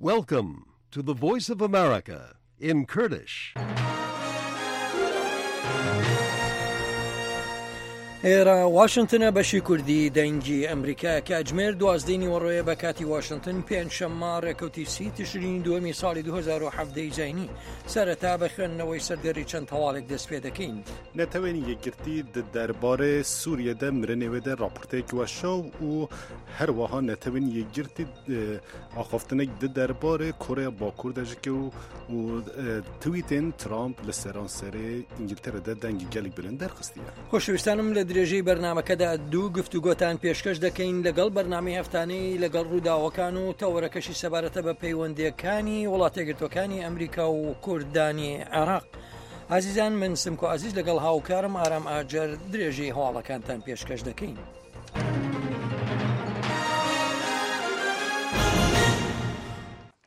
Welcome to the Voice of America in Kurdish. ئێرە واشنتنە بەشی کوردی دەنگی ئەمریکا کاتژمێر دوازدەی نیوەڕۆیە بە کاتی واشنتن پێنجشەممە ڕێکەوتی سی تشرینی دووەمی ساڵی 2017 زینی سەرەتا بە خوێندنەوەی سەردێڕی چەند هەواڵێک دەست پێ دەکەین. نەتەوەێن یەکگرتی di derbarê Sûriyê de mirinê wê de raporteyek weşa û herwiha Netewên Yekgirtî axaftinek di derbarê Koreya Bakur de jî kir û tweetên Trump li seranserê Îngiltere de dengê gelek bilind derxistiye. خۆشەویستانم لە درێژەی بەرنامەکەدا دوو گفتوگۆتان پێشکەش دەکەین لەگەڵ بەرنامەی هەفتانەی لەگەڵ ڕووداوەکان و تەوەرەکەشی سەبارەتە بە پەیوەندیەکانی وڵاتەگرتوەکانی ئەمریکا و کوردانی عێراق. ئازیزان من سمکۆ ئازیز لەگەڵ هاوکارم ئارام ئاجەر درێژەی هەواڵەکانتان پێشکەش دەکەین.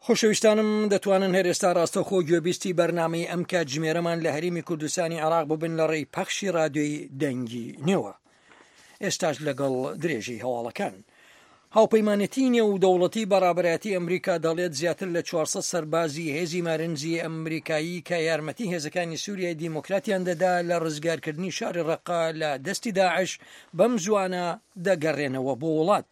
خۆشەویستانم دەتوانن هەر ئێستا ڕاستەوخۆ گوێبیستی بەرنامەی ئەم کاتژمێرەمان لە هەرێمی کوردستانی عێراق ببن لە ڕێی پەخشی ڕادیۆی دەنگی نێوە. ئێستاش لەگەڵ درێژەی هەواڵەکان. هاوپەیمانێتی نێودەوڵەتی بە ڕابەرایەتی ئەمریکا دەڵێت زیاتر لە 400 سەربازی هێزی مارنزی ئەمریکایی کە یارمەتی هێزەکانی سووریای دیموکراتیان دەدا لە ڕزگارکردنی شاری ڕەقە لە دەستی داعش بەم زووانە دەگەڕێنەوە بۆ وڵات.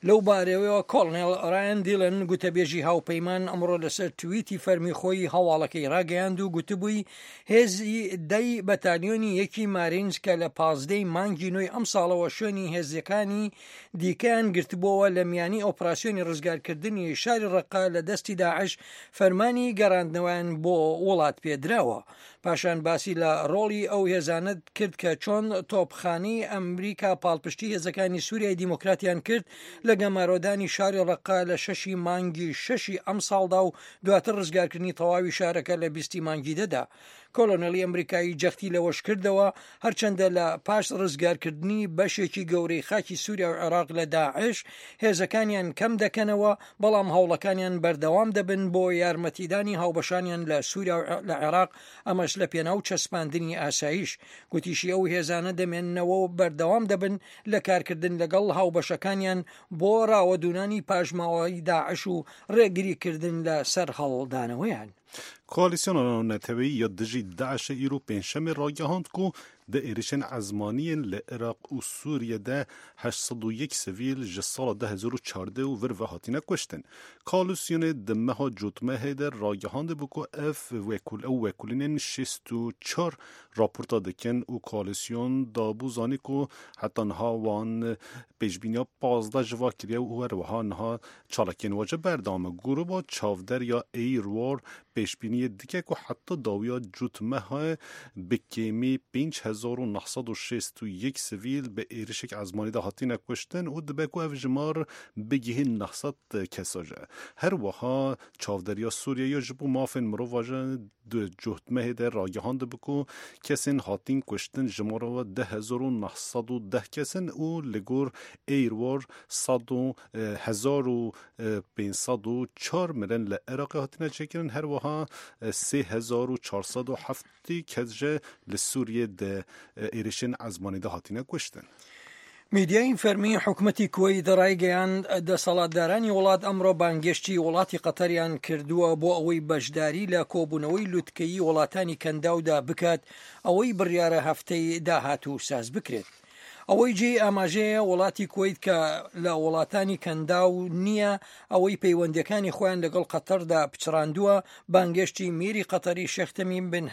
لەو بارەیەوە کۆڵنێڵ ڕایان دیلن گوتەبێژی هاوپەیمان ئەمڕۆ لەسەر تویتی فەرمی خۆی هەواڵەکەی ڕاگەیاند و گوتبووی هێزی دەی بەتالیۆنی یەکی مارینز کە لە پازدەی مانگی نۆی ئەمساڵەوە شوێنی هێزەکانی دیکەیان گرتبووەوە لە میانی ئۆپراسیۆنی ڕزگارکردنی شاری ڕەقە لە دەستی داعش فەرمانی گەڕاندنەوەیان بۆ وڵات پێدراوە. پاشان باسی لە ڕۆڵی ئەو هێزانە کرد کە چۆن تۆپخانەی ئەمریکا پاڵپشتی هێزەکانی سووریای دیموکراتیان کرد لە گەمارۆدانی شاری ڕەقە لە شەشی مانگی شەشی ئەمساڵدا و دواتر ڕزگارکردنی تەواوی شارەکە لە بیستی مانگی دەدا. کۆلۆنێلی ئەمریکایی جەختی لەوەش کردەوە، هەرچەندە لە پاش ڕزگارکردنی بەشێکی گەورەی خاکی سووریا و عێراق لە داعش، هێزەکانیان کەم دەکەنەوە، بەڵام هەوڵەکانیان بەردەوام دەبن بۆ یارمەتیدانی هاوبەشانیان لە سووریا و لە عێراق، ئەمەش لە پێناو چەسپاندنی ئاسایش. گوتیشی ئەو هێزانە دەمێننەوە و بەردەوام دەبن لە کارکردن لەگەڵ هاوبەشەکانیان بۆ ڕاوەدوونانی پاشماوەی داعش و ڕێگریکردن لە سەرهەڵدانەوەیان. Koalîsyona Navneteweyî ya Dijî DAIŞ'ê îro Pêncşemê ragihand ku di êrişên ezmanî yên li Iraq û Sûriyê de 801 sivîl ji sala 2014 û vir ve hatine kuştin. Koalîsyonê di meha Cotmehê de ragihandibû ku ev ew wekulînên 64 raporta dikin û koalîsyon dabû zanî ku heta niha wan pêşbîniya 15 ji va kiriye û her wiha niha Çalakiyên wece berdewam e. Grûba Çavder ya Air War pêşbîniyê dike ku heta dawiya cotmeha bi kêmî 5961 sivîl bi êrişek ezmanî de hatine kuştin û dibe ku ev jimar bigihî 900 kesa ji. Her wiha Çavderiya Sûriyê ya ji bo mafên mirovan ji di cotmehê de ragihandibû ku kesên hatîn kuştin jimara we 10910 kes in û li gor Air War 1504 mirin li Iraqê hatine çêkirin, her wiha 3470 kes jî li Sûriyê di êrişên ezmanî de hatine kuştin. میدیای فەرمی حکومەتی کوەیت ڕایگەیاند، دەسەڵاتدارانی وڵات ئەمڕۆ بانگێشتی وڵاتی قەتەریان کردووە بۆ ئەوەی بەشداری لە کۆبوونەوەی لوتکەیی وڵاتانی کەنداودا بکات، ئەوەی بڕیارە هەفتەی داهاتوو ساز بکرێت. ئەوەی جێی ئاماژەیە وڵاتی کوەیت کە لە وڵاتانی کەنداو نییە، ئەوەی پەیوەندییەکانی خۆیان لەگەڵ قەتەردا پچڕاندووە، بانگێشتی میری قەتەری شێخ تەمیم بن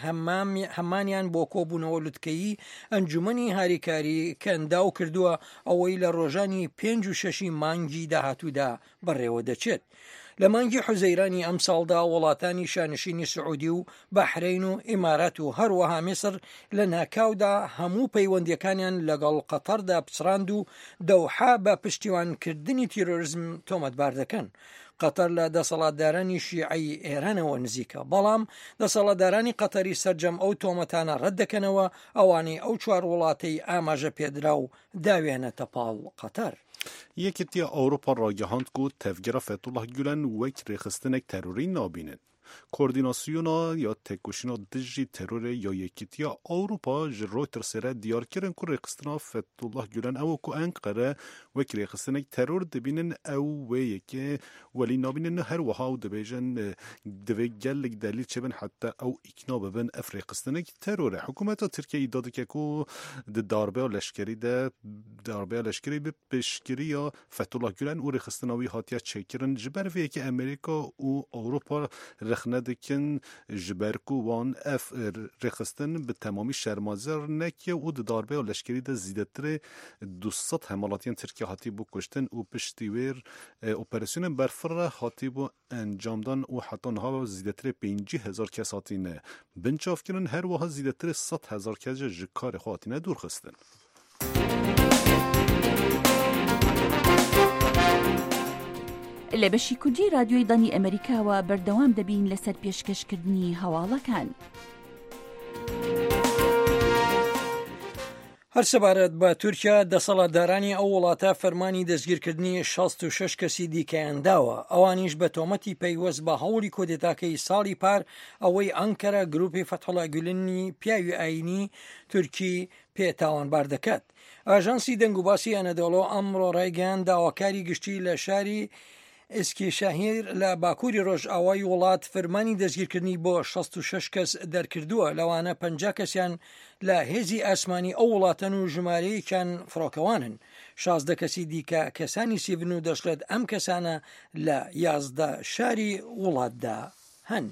هەمانیان بۆ کۆبوونەوە لوتکەیی ئەنجومەنی هاریکاری کەنداو کردووە، ئەوەی لە ڕۆژانی پێنج و شەشی مانگی داهاتوودا بەڕێوەدەچێت. لە مانگی حوزەیرانی ئەمساڵدا وڵاتانی شانشینی سعودی و بەحرەین و ئیمارات و هەروەها میسر لە ناکاودا هەموو پەیوەندییەکانیان لەگەڵ قەتەردا پچڕاند و دەوحە بە پشتیوانکردنی تیرۆرزم تۆمەتبار دەکەن. قەتەر لە دەسەڵاتدارانی شیعەی ئێرانەوە نزیکە، بەڵام دەسەڵاتدارانی قەتەری سەرجەم ئەو تۆمەتانە ڕەت دەکەنەوە ئەوانەی ئەو چوار وڵاتەی ئاماژە پێدراو داویانەتە پاڵ قەتەر. Yekîtiya Ewropa ragihand ku Tevgera Fethullah Gulen wek rêxistinek terorî nabînin. Koordînasyona ya Têkoşîna Dijî Terorê ya Yekîtiya Ewropa ji Reutersê re diyar kirin ku rêxistina Fethullah Gulen ew ku Enqere wek rêxistinek teror dibînin ew wê yekê welî nabînin her wiha ew dibêjin divê gelek delîl çêbin heta ew îkna bibin ev rêxistinek teror e. Hikûmeta Tirkiyeyê îdia dike ku di darbeya leşkerî de darbeya leşkerî bi piştgiriya Fethullah Gulen û rêxistina wî hatiye çêkirin. Ji ber vê yekê Amerîka û Ewropa rexne dikin ji ber ku wan ev rêxistin bi temamî şermazer nekiye û di darbeya leşkerî de zêdetirê 200 hemwelatiyên Tirkiye hatîbû kuştin û piştî wê operasyonên berfireh hatîbû encamdan û heta niha zêdetirê 50,000 kes hatîne binçavkirin, her wiha zêdetirê 100,000 kes jî ji karê xwe hatine dûrxistin. لە بەشی کوردی رادیۆی دەنگی ئەمەریکاوە بەردەوام دەبین لەسەر پێشکەشکردنی هەواڵەکان. هەر سەبارەت بە تورکیا، دەسەڵاتدارانی ئەو وڵاتە فەرمانی دەستگیرکردنی 66 کەسی دیکەیان داوە، ئەوانیش بە تۆمەتی پەیوەست بە هەوڵی کۆدێتاکەی ساڵی پار ئەوەی ئەنکەرە گروپی فەتحوڵا گولنی پیاوی ئایینی تورکی پێ تاوانبار دەکات. ئاژانسی دەنگوباسی ئەنەدۆڵۆ ئەمڕۆ ڕایگەیاند داواکاری گشتی لە شاری ئیسکیشەهیر لە باکووری ڕۆژئاوای وڵات فرمانی دەستگیرکردنی بۆ 66 کەس دەرکردووە، لەوانە 50 کەسیان لە هێزی ئاسمانی ئەو وڵاتەن و ژمارەیەکیان فڕۆکەوانن. 16 کەسی دیکە کەسانی سیڤن و دەشڵێت ئەم کەسانە لە 11 شاری وڵاتدا هەن.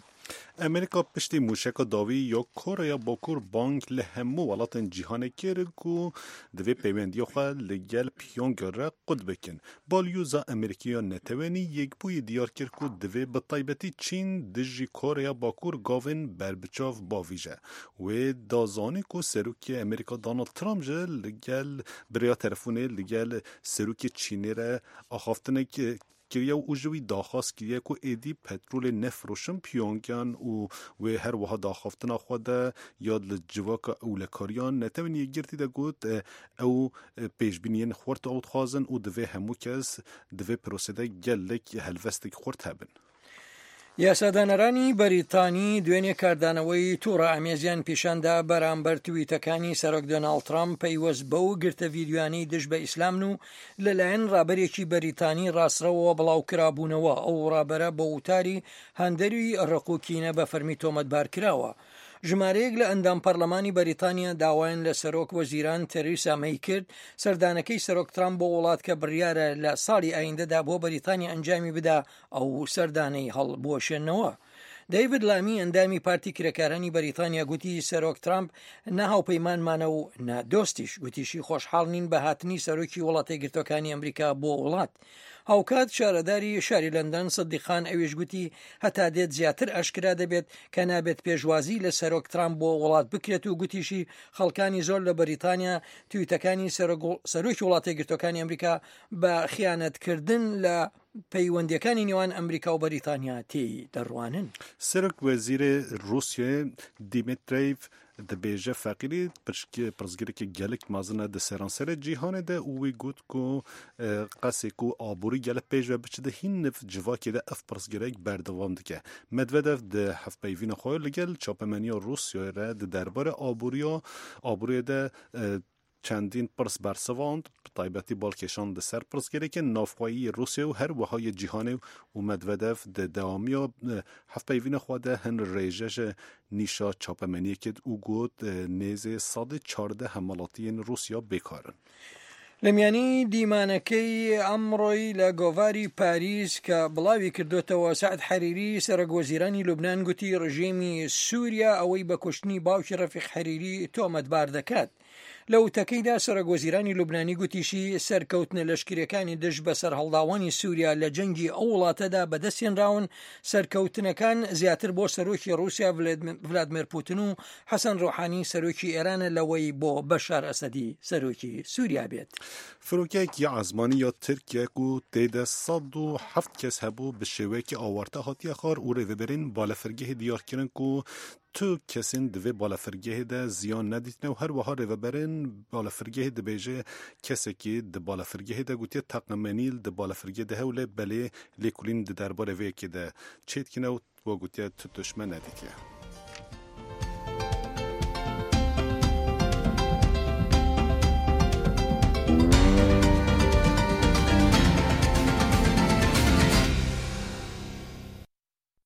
ئەمریکا پشتی مووشەکا داوی یا کۆریا باکوور بانگ li hemû welatên cîhanê kir ku divê peywendiya xwe li gel Pyongyang re qut bikin. Balyoza Amerîkî ya Netewenî Yekbûyî diyar kir ku divê bi taybetî Çîn dijî Koreya Bakur gavên berbiçav bavîje. Wê da zanîn ku Serokê Amerîka Donald Trump jî li gel bi rêya telefonê li gel Serokê Çînê re axaftinek kiriye û ji wî daxwaz kiriye ku êdî petrolê nefiroşin Pyongyang û wê her wiha di axaftina xwe de ya li civaka ewlekariya Netewên Yekgirtî de got ew pêşbîniyên xurt ew dixwazin û divê hemû kes di vê prosê de gelek helwestek xurt hebin. یاسادانەرانی بەریتانی دوێنێ کاردانەوەی توڕە ئامێزیان پیشاندا بەرامبەر تویتەکانی سەرۆک دۆناڵد ترامپ پەیوەست بەو گرتە ڤیدیۆیانەی دژ بە ئیسلامن و لەلایەن ڕابەرێکی بەریتانی ڕاستڕەوەوە بڵاوکرابوونەوە، ئەو ڕابەرە بە وتاری هاندەری ڕق و کینە بە فەرمی تۆمەتبار کراوە. ژمارەیەک لە ئەندام پەرلەمانی بەریتانیا داوایان لە سەرۆک وەزیران تەریسا مەی کرد سەردانەکەی سەرۆک ترامپ بۆ وڵات کە بڕیارە لە ساڵی ئایندەدا بۆ بەریتانیا ئەنجامی بدا ئەو سەردانەی هەڵبوەشێنەوە. دەیڤد لامی ئەندامی پارتی کرێکارانی بەریتانیا گوتی سەرۆک ترامپ نە هاوپەیمانمانە و نە دۆستیش گوتیشی خۆشحاڵ نین بە هاتنی سەرۆکی وڵاتە یەکگرتووەکانی ئەمریکا بۆ وڵات. هاوکات شارەداری شاری لەندەن سدیق خان ئەویش گوتی هەتا دێت زیاتر ئاشکرا دەبێت کە نابێت پێشوازی لە سەرۆک ترامپ بۆ وڵات بکرێت و گوتیشی خەڵکانی زۆر لە بەریتانیا تویتەکانی سەرۆکی وڵاتە یەکگرتووەکانی ئەمریکا بە خیانەتکردن لە پەیوەندیەکانی نێوان ئەمریکا و بەریتانیا تێی دەڕوانن. سەرۆک وەزیرê Rûsyayê Dîmîtrîev dibêje feqîrî pirsgirêkê gelek mezin e di seranserê cîhanê de û wî got ku qasê ku aborî gelek pêş ve biçe di hîn niv civakê de ev pirsgirêk berdewam dike. Medvedev di hevpeyvîna xwe li gel çapemeniya Rûsyayê re di derbarê aboriya aboriyê de Çendîn pirs bersivand, bi taybetî bal kêşand li ser pirsgirêkên navxweyî yê Rûsyayê û her wiha yê cîhanê û Medvedev di dewamiya hevpeyvîna xwe de hin rêje ji nîşa çapemeniyê kir û got nêzê sedê 14 hemwelatiyên Rûsya bêkar in. لە میانی دیمانەکەی ئەمڕۆی لە گۆڤاری پاریس کە بڵاوی کردوتەوە سەعد حەریری سەرۆک وەزیرانی لوبناان گوتی ڕژێمی سووریا ئەوەی بە کوشتنی باوکی ڕەفیق حەریری تۆمەتبار دەکات. لە وتەکەیدا سەرۆک وەزیرانی لوبنانی گوتیشی، سەرکەوتنە لەشکرییەکانی دژ بە سەرهەڵداوانی سووریا لە جەنگی ئەو وڵاتەدا بەدەستهێنراون، سەرکەوتنەکان زیاتر بۆ سەرۆکی ڕووسیا ڤلادمێر پوتن و حەسەن ڕۆحانی سەرۆکی ئێرانە لەوەی بۆ بەشار ئەسەدی سەرۆکی سووریا بێت. فرۆکەیەکی ئاسمانی یا ترکیە ku têde 107 kes hebû bi şêweyekî awarte hatiye xwar û rêveberên balefirgehê diyar kirin ku Tu kesên di vê balafirgehê de ziyan nedîtine û her wiha rêveberên balafirgehê dibêje kesekî di balafirgehê de gotiye teqemenî di balafirgehê de heye û lê belê lêkolîn di derbarê vê yekê de çêdikine û. و گوتیە tu tişt me nedîtiye.